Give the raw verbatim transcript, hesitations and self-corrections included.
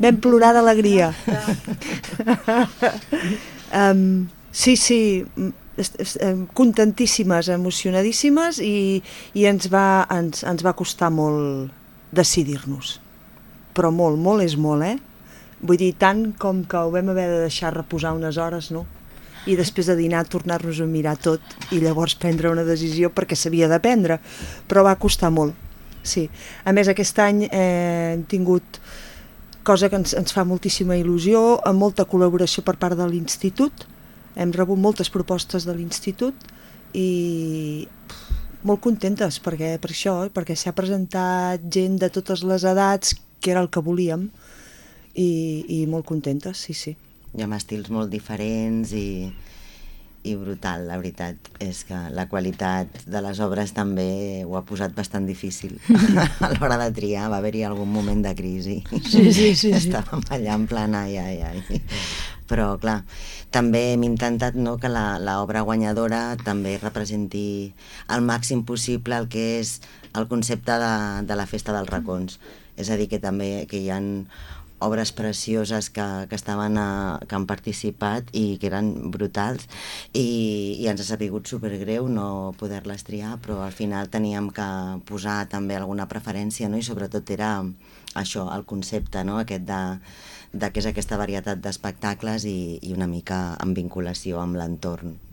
vam plorar d'alegria. um, sí, sí, contentíssimes, emocionadíssimes i, i ens, va, ens, ens va costar molt decidir-nos. Però molt, molt és molt, eh? Vull dir, tant com que ho vam haver de deixar reposar unes hores, no? I després de dinar tornar-nos a mirar tot i llavors prendre una decisió perquè s'havia de prendre, però va costar molt, sí. A més, aquest any eh, hem tingut cosa que ens, ens fa moltíssima il·lusió, amb molta col·laboració per part de l'Institut, hem rebut moltes propostes de l'Institut i molt contentes perquè, per això, perquè s'ha presentat gent de totes les edats, que era el que volíem, i, i molt contentes, sí, sí. I amb estils molt diferents i, i brutal, la veritat és que la qualitat de les obres també ho ha posat bastant difícil a l'hora de triar, va haver-hi algun moment de crisi. Sí, sí, sí. Estàvem allà en plan ai, ai, ai. Però clar, també hem intentat, no, que l'obra guanyadora també representi al màxim possible el que és el concepte de, de la Festa dels Racons. És a dir, que també que hi ha obres precioses que, que estaven a, que han participat i que eren brutals i, i ens ha sabut supergreu no poder-les triar, però al final teníem que posar també alguna preferència, no? I sobretot era això, el concepte, no? Aquest de, de què és aquesta varietat d'espectacles i, i una mica en vinculació amb l'entorn.